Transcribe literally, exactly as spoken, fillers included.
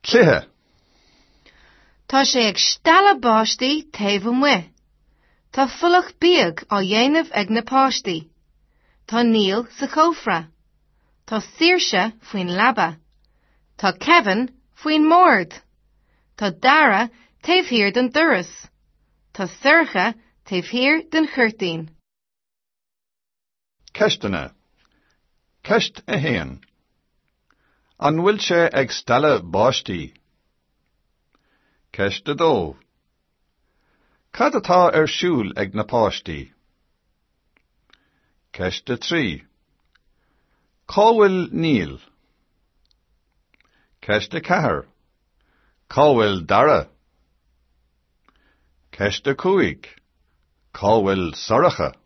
Cluiche. Tá sé ag stealladh báistí taobh amuigh. Tá folach bíog á dhéanamh ag na páistí. Tá Niall sa chófra. Tá Saoirse faoin leaba. Tá Kevin faoin mbord. Tá Dara taobh thiar den doras. Tá Sorcha taobh thiar den chuirtín. Ceisteanna. Ceist a haon. An bhfuil sé ag stealladh báistí? Ceist a dó. Cad atá ar siúl ag na páistí? Ceist a trí. Cá bhfuil Niall? Ceist a ceathair. Cá bhfuil Dara? Ceist a cúig. Cá bhfuil Sorcha?